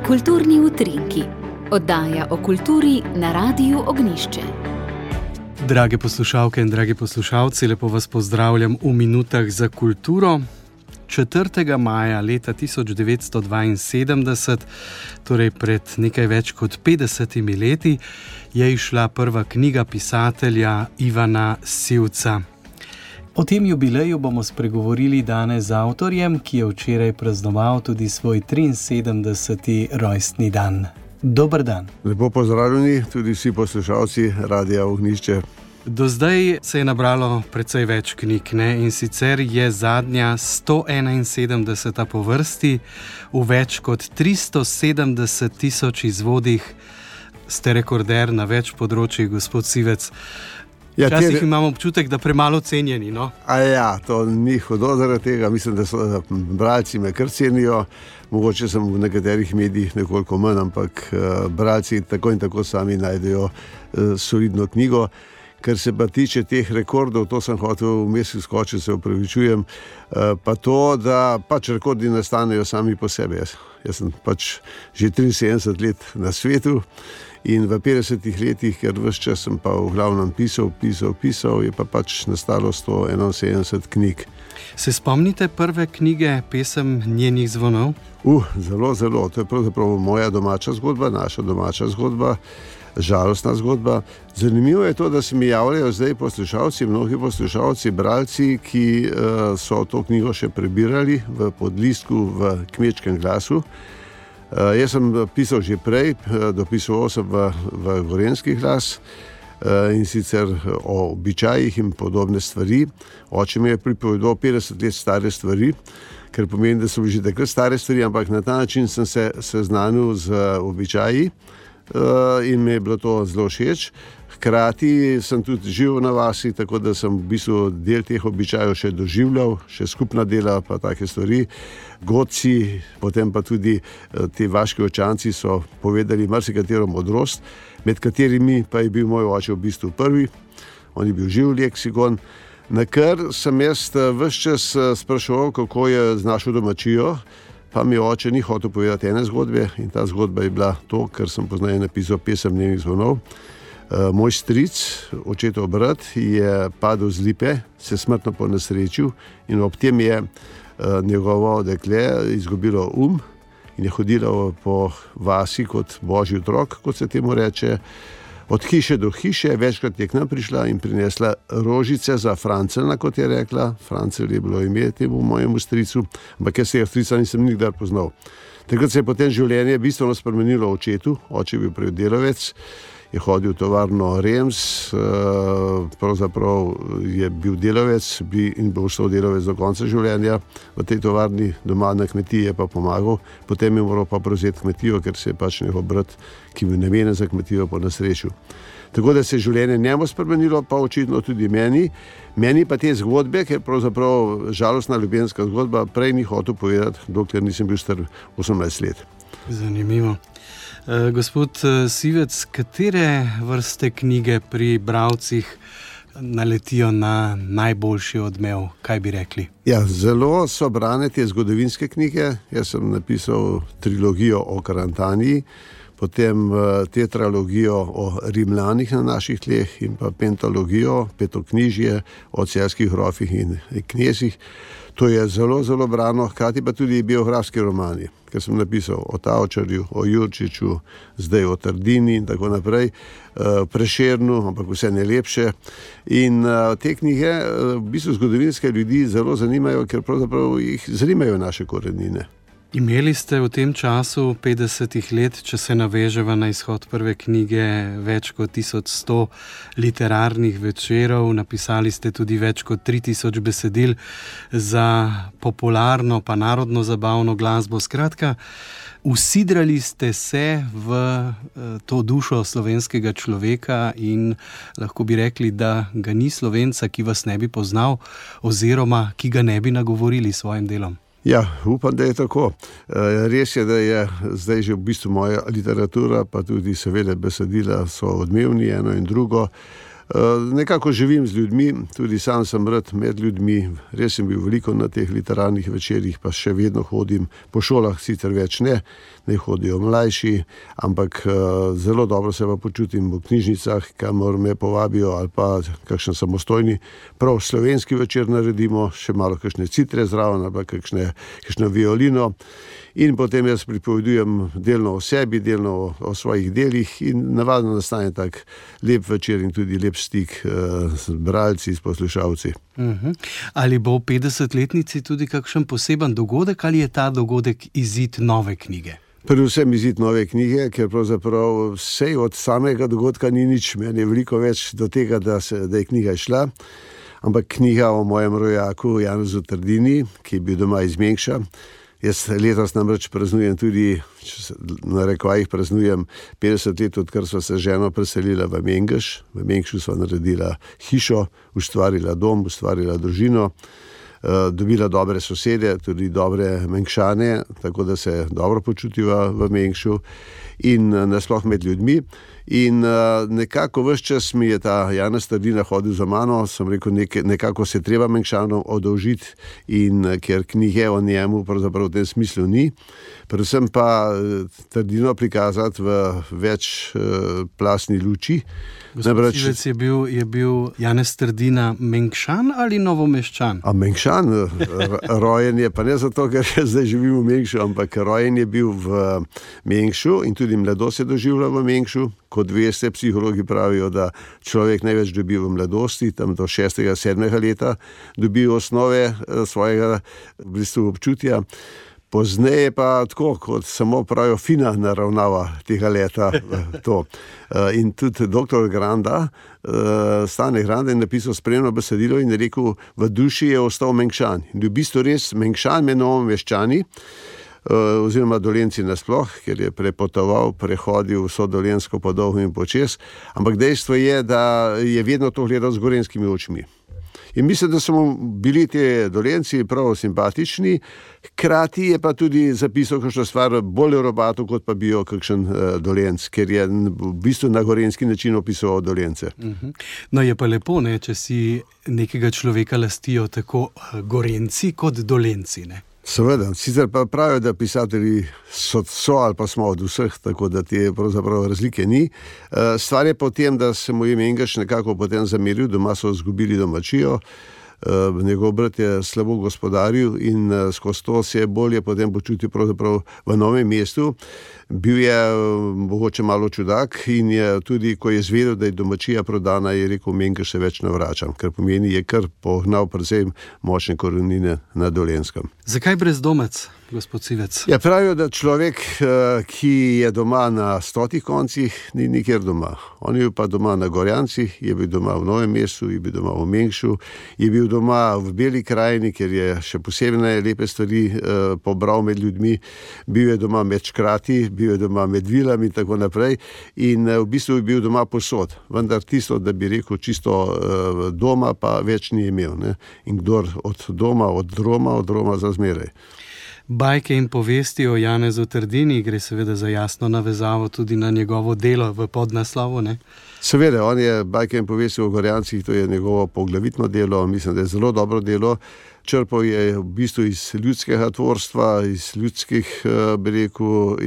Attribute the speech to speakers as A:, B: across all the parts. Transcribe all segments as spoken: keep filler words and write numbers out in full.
A: Kulturni utrinki, oddaja o kulturi na Radiu Ognjišče.
B: Drage poslušalke in dragi poslušalci, lepo vas pozdravljam v minutah za kulturo. četrtega maja leta tisoč devetsto dvainsedemdeset, torej pred nekaj več kot petdesetimi leti, je izšla prva knjiga pisatelja Ivana Sivca. O tem jubileju bomo spregovorili danes z avtorjem, ki je včeraj praznoval tudi svoj triinsedemdeseti rojstni dan. Dober dan.
C: Lepo pozdravljeni tudi vsi poslušalci Radia Ognjišče.
B: Do zdaj se je nabralo precej več knjig, ne? In sicer je zadnja sto enainsedemdeseta po vrsti, v več kot tristo sedemdeset tisoč izvodih. Ste rekorder na več področjih, gospod Sivec.
C: Ja,
B: Včasih
C: te...
B: imam občutek, da premalo cenjeni, no?
C: A ja, to ni hudo zaradi tega. Mislim, da so bralci me kar cenijo. Mogoče sem v nekaterih medijih nekoliko manj, ampak uh, bralci tako in tako sami najdejo uh, solidno knjigo. Ker se pa tiče teh rekordov, to sem hotel vmes skočiti, se opravičujem, uh, pa to, da pač rekordi nastanejo sami po sebi. Jaz, jaz sem pač že triinsedemdeset let na svetu. In v petdesetih letih, ker ves čas sem pa v glavnem pisal, pisal, pisal, je pa pač nastalo sto enainsedemdeset knjig.
B: Se spomnite prve knjige, pesem Njenih zvonov?
C: Uh, zelo, zelo. To je pravzaprav moja domača zgodba, naša domača zgodba, žalostna zgodba. Zanimivo je to, da se mi javljajo zdaj poslušalci, mnogi poslušalci, bralci, ki uh, so to knjigo še prebirali v podlistku v Kmečkem glasu. Uh, jaz sem pisal že prej, uh, dopisoval sem v, v Gorenjski glas uh, in sicer o običajih in podobne stvari. Oče mi je pripovedal petdeset let stare stvari, kar pomeni, da so že takrat stare stvari, ampak na ta način sem se seznanil z običaji uh, in mi je bilo to zelo všeč. Hkrati sem tudi živel na vasi, tako da sem v bistvu del teh običajev še doživljal, še skupna dela pa take stvari. Godci, potem pa tudi ti vaški očanci so povedali marsikatero modrost, med katerimi pa je bil moj oče v bistvu prvi. On je bil živ leksikon, na kar sem jaz ves čas spraševal, kako je z našo domačijo, pa mi oče ni hotel povedati ene zgodbe in ta zgodba je bila to, kar sem poznaje napisal pesem Njenih zvonov. Uh, moj stric, očetov brat, je padel z lipe, se smrtno ponesrečil in ob tem je uh, njegovo dekle izgubilo um in je hodilo po vasi kot božji otrok, kot se temu reče, od hiše do hiše. Večkrat je k nam prišla in prinesla rožice za Francelna, kot je rekla. Francel je bilo ime temu mojemu stricu, ampak jaz tega strica nisem nikdar poznal. Takrat se je potem življenje bistveno spremenilo očetu. Oče je bil prej delavec, je hodil v tovarno Rems, pravzaprav je bil delavec in bo ostal delavec do konca življenja. V tej tovarni doma na kmetiji je pa pomagal, potem je moral pa prevzeti kmetijo, ker se je pač njegov brat, ki bil namenjen za kmetijo, ponesrečil. Tako da se je življenje njemu spremenilo, pa očitno tudi meni. Meni pa te zgodbe, ker pravzaprav žalostna ljubezenska zgodba, prej ni hotel povedati, dokler nisem bil star osemnajst let.
B: Zanimivo. Uh, gospod uh, Sivec, katere vrste knjige pri bralcih naletijo na najboljši odmev, kaj bi rekli?
C: Ja, zelo so brane te zgodovinske knjige. Jaz sem napisal trilogijo o Karantaniji, potem uh, tetralogijo o Rimljanih na naših tleh in pa pentalogijo, petoknjižje o celjskih grofih in knezih. To je zelo, zelo brano, hkrati pa tudi biografski romani, ker sem napisal o Tavčarju, o Jurčiču, zdaj o Trdini in tako naprej, Prešernu, ampak vse najlepše. In te knjige v bistvu zgodovinske ljudi zelo zanimajo, ker pravzaprav jih zanimajo naše korenine.
B: Imeli ste v tem času petdesetih let, če se naveževa na izhod prve knjige, več kot tisoč sto literarnih večerov, napisali ste tudi več kot tri tisoč besedil za popularno pa narodno zabavno glasbo. Skratka, usidrali ste se v to dušo slovenskega človeka in lahko bi rekli, da ga ni Slovenca, ki vas ne bi poznal oziroma ki ga ne bi nagovorili s svojim delom.
C: Ja, upam, da je tako. Res je, da je zdaj že v bistvu moja literatura, pa tudi seveda besedila so odmevni eno in drugo. Nekako živim z ljudmi, tudi sam sem rad med ljudmi, res sem bil veliko na teh literarnih večerjih, pa še vedno hodim, po šolah sicer več ne, ne hodijo mlajši, ampak zelo dobro se pa počutim v knjižnicah, kamor me povabijo, ali pa kakšen samostojni, prav slovenski večer naredimo, še malo kakšne citre zraven, ali pa kakšne, kakšno violino. In potem jaz pripovedujem delno o sebi, delno o, o svojih delih in navadno nastane tak lep večer in tudi lep stik uh, z bralci, s poslušalci.
B: Uh-huh. Ali bo v petdesetletnici tudi kakšen poseben dogodek ali je ta dogodek izid nove knjige?
C: Predvsem izid nove knjige, ker pravzaprav vse od samega dogodka ni nič, meni je veliko več do tega, da, se, da je knjiga išla, ampak knjiga o mojem rojaku Janezu Trdini, ki je bil doma iz Mengša. Jaz letos namreč praznujem tudi, na rekovajih praznujem petdeset let, odkar sva se ženo preselila v Mengeš. V Mengšu sva naredila hišo, ustvarila dom, ustvarila družino, dobila dobre sosede, tudi dobre Mengšane, tako da se dobro počutiva v Mengšu in nasploh med ljudmi. In uh, nekako ves čas mi je ta Janez Trdina hodil za mano, sem rekel, nek, nekako se treba Mengšanom odolžiti in uh, ker knjige o njemu pravzaprav v tem smislu ni, predvsem pa uh, Trdino prikazati v več uh, plastni luči.
B: Gospod Civec, je bil, je bil Janez Trdina Mengšan ali Novomeščan?
C: A Mengšan, rojen je, pa ne zato, ker zdaj živim v Mengšu, ampak rojen je bil v Mengšu in tudi mladost je doživljal v Mengšu. Kot veste, psihologi pravijo, da človek največ dobi v mladosti, tam do šestega, sedmega leta dobi osnove svojega v bistvu občutja. Pozneje pa tako, kot samo pravijo, fina naravnava tega leta to. In tudi doktor Granda, Stane Granda je napisal spremno besedilo in je rekel, v duši je ostal Mengšan. In v bistvu res Mengšan med Novomeščani, oziroma Dolenci nasploh, ker je prepotoval, prehodil vso Dolensko po dolgo in počez, ampak dejstvo je, da je vedno to gledal z gorenjskimi očmi. In mislim, da so mu bili te Dolenci prav simpatični, hkrati je pa tudi zapisal kakšno stvar bolj robato, kot pa bi jo kakšen uh, Dolenc, ker je v bistvu na gorenjski način opisoval Dolence.
B: Uh-huh. No je pa lepo, ne, če si nekega človeka lastijo tako Gorenci kot Dolenci, ne?
C: Seveda, sicer pa pravijo, da pisatelji so, so ali pa smo od vseh, tako da te pravzaprav razlike ni. Stvar je pa v tem, da se mu je Mengeš nekako potem zameril, doma so izgubili domačijo, njegov brat je slabo gospodaril in skozi to se je bolje potem počutil pravzaprav v novem mestu. Bil je mogoče malo čudak in je tudi, ko je zvedel, da je domačija prodana, je rekel, Mengeš se več ne vračam, ker pomeni, je kar pognal predvsem močne korenine na Dolenskem.
B: Zakaj brezdomec, gospod Civec?
C: Ja, pravijo, da človek, ki je doma na stotih koncih, ni nikjer doma. On je bil pa doma na Gorjancih, je bil doma v Novem mestu, je bil doma v Mengšu, je bil doma v Beli krajini, ker je še posebne lepe stvari eh, pobral med ljudmi, bil je doma med škrati, bil je doma med vilami in tako naprej in eh, v bistvu je bil doma posod, vendar tisto, da bi rekel čisto eh, doma, pa več ni imel. Ne? In kdor od doma, od Roma, od Roma za zmeraj.
B: Bajke in povesti o Janezu Trdini, gre seveda za jasno navezavo tudi na njegovo delo v podnaslovu, ne?
C: Seveda, on je Bajke in povesti o Gorjancih, to je njegovo poglavitno delo, mislim, da je zelo dobro delo. Črpal je v bistvu iz ljudskega tvorstva, iz ljudskih, bi rekel,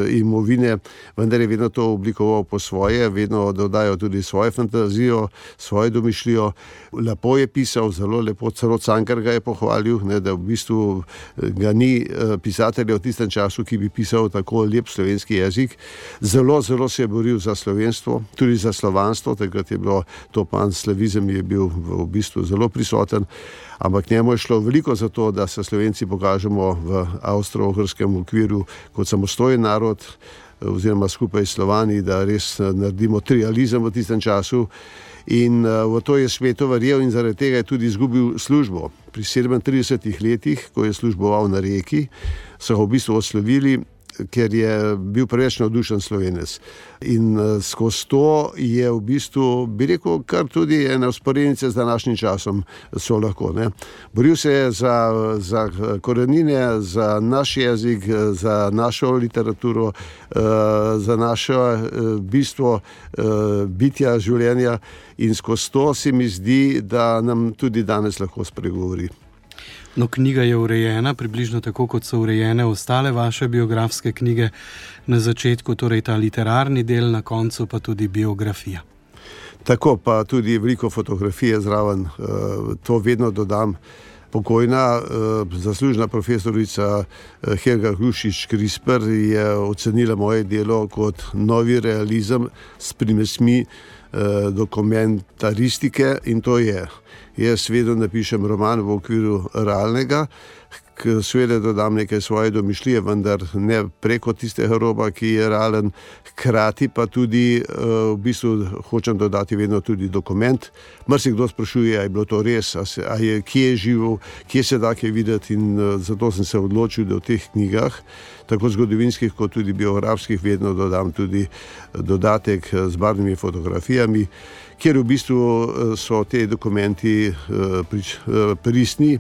C: imovine, vendar je vedno to oblikoval po svoje, vedno dodajal tudi svojo fantazijo, svojo domišljijo. Lepo je pisal, zelo lepo, celo Cankar ga je pohvalil, ne, da v bistvu ga ni pisatelja v tistem času, ki bi pisal tako lep slovenski jezik. Zelo, zelo se je boril za slovenstvo, tudi za slovanstvo, takrat je bilo to panslavizem, je bil v bistvu zelo prisoten. Ampak njemu je šlo veliko za to, da se Slovenci pokažemo v avstro-ogrskem okviru kot samostojen narod oziroma skupaj s Slovani, da res naredimo trializem v tistem času. In v to je sveto verjel in zaradi tega je tudi izgubil službo. Pri sedemintridesetih letih, ko je služboval na Reki, so ga v bistvu odslovili ker je bil preveč navdušen Slovenec. In skozi to je v bistvu, bi rekel, kar tudi ene vzporednice z današnjim časom so lahko. Ne. Boril se je za, za korenine, za naš jezik, za našo literaturo, za naše bistvo bitja, življenja, in skozi to se mi zdi, da nam tudi danes lahko spregovori.
B: No, knjiga je urejena, približno tako, kot so urejene ostale vaše biografske knjige. Na začetku torej ta literarni del, na koncu pa tudi biografija.
C: Tako, pa tudi veliko fotografije zraven, to vedno dodam. Pokojna, zaslužna profesorica Helga Hrušič-Krisper je ocenila moje delo kot novi realizem s primesmi dokumentaristike, in to je. Jaz vedno napišem roman v okviru realnega, seveda dodam nekaj svoje domišljije, vendar ne preko tistega roba, ki je realen, hkrati pa tudi v bistvu hočem dodati vedno tudi dokument. Marsikdo sprašuje, a je bilo to res, a, se, a je, kje je živel, kje se da kaj videti, in zato sem se odločil, da v teh knjigah, tako zgodovinskih kot tudi biografskih, vedno dodam tudi dodatek z barvnimi fotografijami, kjer v bistvu so te dokumenti pristni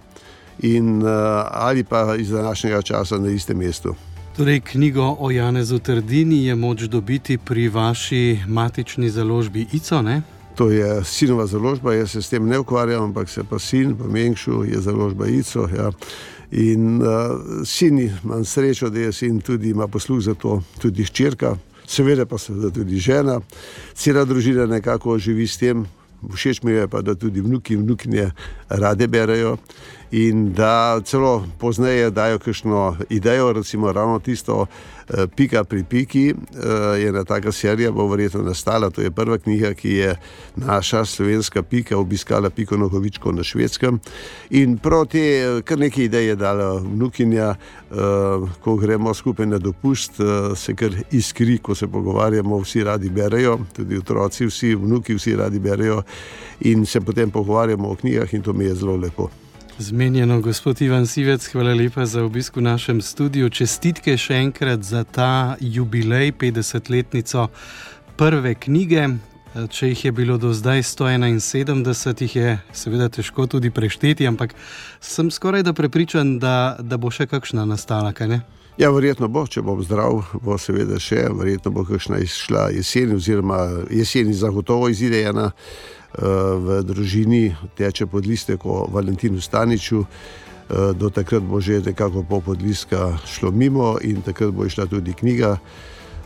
C: in ali pa iz današnjega časa na istem mestu.
B: Torej, knjigo o Janezu Trdini je moč dobiti pri vaši matični založbi Ico, ne?
C: To je sinova založba, jaz se s tem ne ukvarjam, ampak se pa sin, v Mengšu je založba Ico, ja. In uh, sin, imam srečo, da je sin tudi ima posluh za to, tudi hčerka, seveda pa seveda tudi žena. Cela družina nekako živi s tem. Všeč mi je pa, da tudi vnuki in vnukinje rade berejo in da celo pozneje dajo kakšno idejo, recimo ravno tisto Pika pri piki, je ena taka serija, bo verjetno nastala, to je prva knjiga, ki je naša slovenska Pika obiskala Piko Nogavičko na Švedskem, in prav te kar nekaj ideje dala vnukinja, ko gremo skupaj na dopust, se kar iskri, ko se pogovarjamo, vsi radi berejo, tudi otroci, vsi vnuki, vsi radi berejo in se potem pogovarjamo o knjigah, in to mi je zelo lepo.
B: Zmenjeno, gospod Ivan Sivec, hvala lepa za obisk v našem studiu. Čestitke še enkrat za ta jubilej, petdesetletnico prve knjige. Če jih je bilo do zdaj sto enainsedemdeset, jih je seveda težko tudi prešteti, ampak sem skoraj da prepričan, da, da bo še kakšna nastala, kaj ne?
C: Ja, verjetno bo, če bom zdrav, bo seveda še, verjetno bo kakšna izšla jeseni, oziroma jeseni zagotovo izide ena. V družini teče podlistek o Valentinu Staniču, do takrat bo že nekako pol podlistka šlo mimo in takrat bo išla tudi knjiga.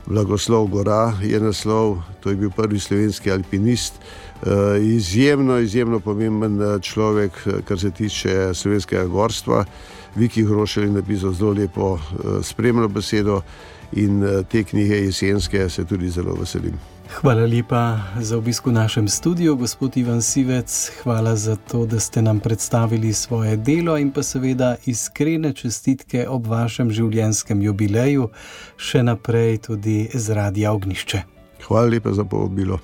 C: Blagoslov Gora je naslov, to je bil prvi slovenski alpinist, izjemno, izjemno pomemben človek, kar se tiče slovenskega gorstva. Viki Hrošelj je napisal zelo lepo spremno besedo in te knjige jesenske se tudi zelo veselim.
B: Hvala lepa za obisk v našem studiu, gospod Ivan Sivec. Hvala za to, da ste nam predstavili svoje delo in pa seveda iskrene čestitke ob vašem življenjskem jubileju, še naprej tudi z Radia Ognjišče.
C: Hvala lepa za povabilo.